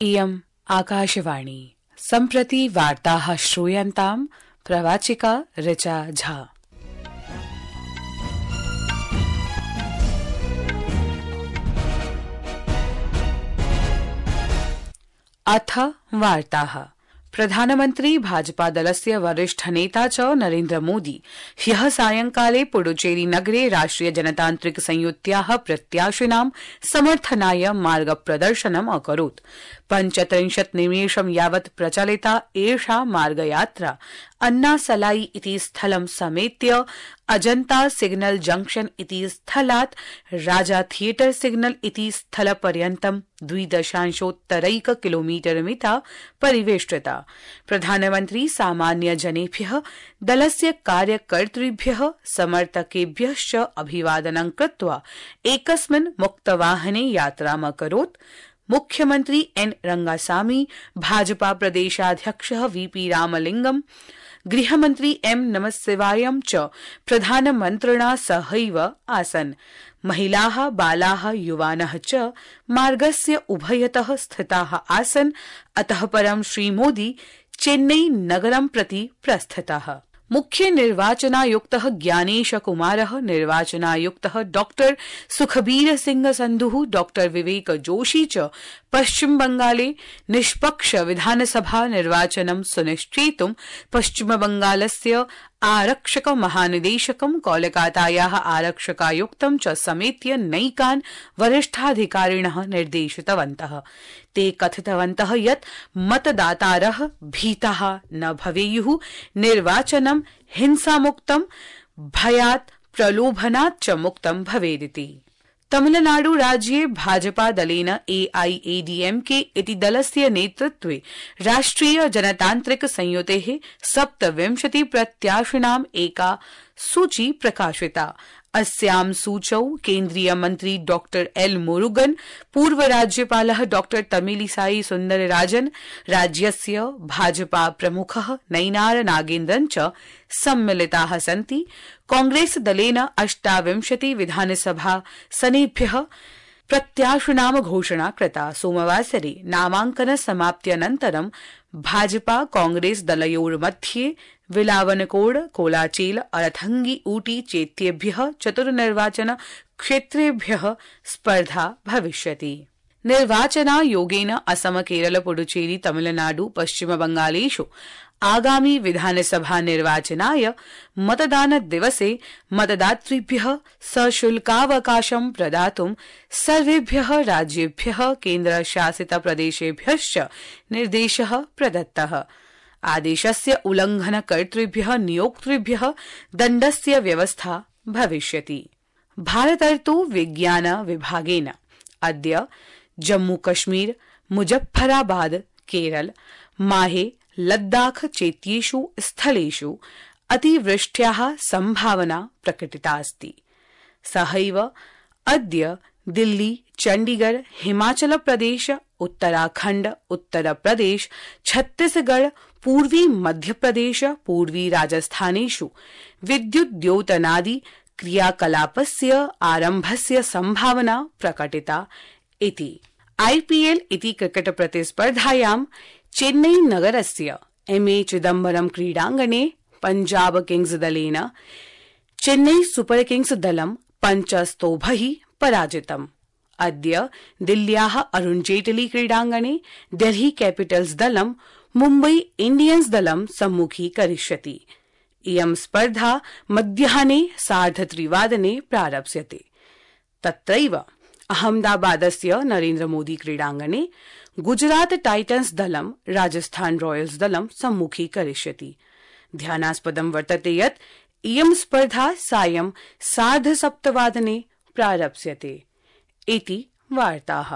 इयम् आकाशवाणी सम्प्रति वार्ताः श्रूयन्ताम् प्रवाचिका ऋचा झा। अथ वार्ताः। प्रधानमन्त्री भाजपा दलस्य वरिष्ठ नेता च नरेन्द्र मोदी ह्यः सायंकाले पुडुचेरी नगरे राष्ट्रिय जनतान्त्रिक संयुत्याः प्रत्याशिनां समर्थनाय मार्गप्रदर्शनम् अकरोत्। 35 निमेषं यावत् प्रचलिता एषा मार्गयात्रा अन्नासलाई इति स्थलं समेत्य अजन्ता सिग्नल जंक्शन इति स्थलात् राजा थियेटर सिग्नल इति स्थलपर्यन्तं 2.8 किलोमीटर मिता परिवेष्टिता। प्रधानमन्त्री सामान्य जनेभ्यः दलस्य कार्यकर्तृभ्यः समर्थकेभ्यश्च अभिवादनं कृत्वा एकस्मिन् मुक्तवाहने यात्रामकरोत्। मुख्यमन्त्री एन रंगासामी, भाजपा प्रदेशाध्यक्षः वीपी रामलिंगम, गृहमन्त्री एम नमस्शिवायं च प्रधानमन्त्रिणा सहैव आसन्। महिलाः, बालाः, युवानः च मार्गस्य उभयतः स्थिताः आसन्। अतः परं श्रीमोदी चेन्नई नगरं प्रति प्रस्थितः। मुख्य निर्वाचनायुक्तः ज्ञानेश कुमारः, निर्वाचनायुक्तः डॉक्टर सुखबीर सिंह संधुः, डॉक्टर विवेक जोशी च पश्चिम बंगाले निष्पक्ष विधानसभा निर्वाचनं सुनिश्चेतुं पश्चिम बंगालस्य आरक्षक महानिदेशकं, कोलकातायाः आरक्षकायुक्तं च समेत्य नैकान् वरिष्ठाधिकारिणः निर्देशितवन्तः। ते कथितवन्तः यत् मतदातारः भीताः न भवेयुः, निर्वाचनं हिंसामुक्तं, भयात् प्रलोभनात् च मुक्तं भवेदिति। तमिलनाडु राज्ये भाजपा दलेन AIADMK इति दलस्य नेतृत्वे राष्ट्रिय जनतान्त्रिक संयुतेः 27 प्रत्याशिनाम् एका सूची प्रकाशिता। अस्यां सूचौ केन्द्रीय मन्त्री डॉक्टर एल मुरुगन, पूर्व राज्यपालः डॉक्टर तमिलिसाई सुन्दरराजन, राज्यस्य भाजपा प्रमुखः नैनार नागेन्द्रन च सम्मिलिताः सन्ति। कांग्रेस दलेन 28 विधानसभासनेभ्यः प्रत्याशिनां घोषणा कृता। सोमवासरे नामांकन समाप्त्यनन्तरं भाजपा कांग्रेस दलयोर्मध्ये विलावनकोड, कोलाचेल, अरथंगी, ऊटी चेत्येभ्यः 4 निर्वाचन क्षेत्रेभ्यः स्पर्धा भविष्यति। निर्वाचनायोगेन असम, केरल, पुडुचेरी, तमिलनाडु, पश्चिम बंगालेषु आगामी विधानसभा निर्वाचनाय मतदान दिवसे मतदातृभ्यः सशुल्कावकाशं प्रदातुं सर्वेभ्यः राज्येभ्यः केन्द्रशासित प्रदेशेभ्यश्च निर्देशः प्रदत्तः। आदेशस्य उल्लंघनकर्तृभ्यः नियोक्तृभ्यः दण्डस्य व्यवस्था भविष्यति। भारतर्तु विज्ञान विभागेन अद्य जम्मूकश्मीर, मुजफ्फराबाद, केरल, माहे, लद्दाख चेत्येषु स्थलेषु अतिवृष्ट्याः संभावना प्रकटिता अस्ति। सहैव अद्य दिल्ली, चण्डीगढ़, हिमाचल प्रदेश, उत्तराखण्ड, उत्तर प्रदेश, छत्तीसगढ़, पूर्वी मध्यप्रदेश, पूर्वी राजस्थानेषु विद्युद्योतनादि क्रियाकलापस्य आरम्भस्य संभावना प्रकटिता इति। IPL इति क्रिकेट प्रतिस्पर्धायां चेन्नई नगरस्य MA चिदम्बरम क्रीडाङ्गणे पंजाब किंग्स दलेन चेन्नई सुपर किंग्स दलं 5-0 पराजितम्। अद्य दिल्ल्याः अरुण जेटली क्रीडाङ्गणे डेल्ही कैपिटल्स दलं मुम्बई इंडियन्स दलं सम्मुखीकरिष्यति। इयं स्पर्धा मध्याह्ने 3:30 प्रारप्स्यते। तत्रैव अहमदाबादस्य नरेन्द्र मोदी क्रीडाङ्गणे गुजरात टाइटन्स दलं राजस्थान रॉयल्स दलं सम्मुखीकरिष्यति। ध्यानास्पदं वर्तते यत् इयं स्पर्धा सायं 7:30 प्रारप्स्यते इति वार्ताः।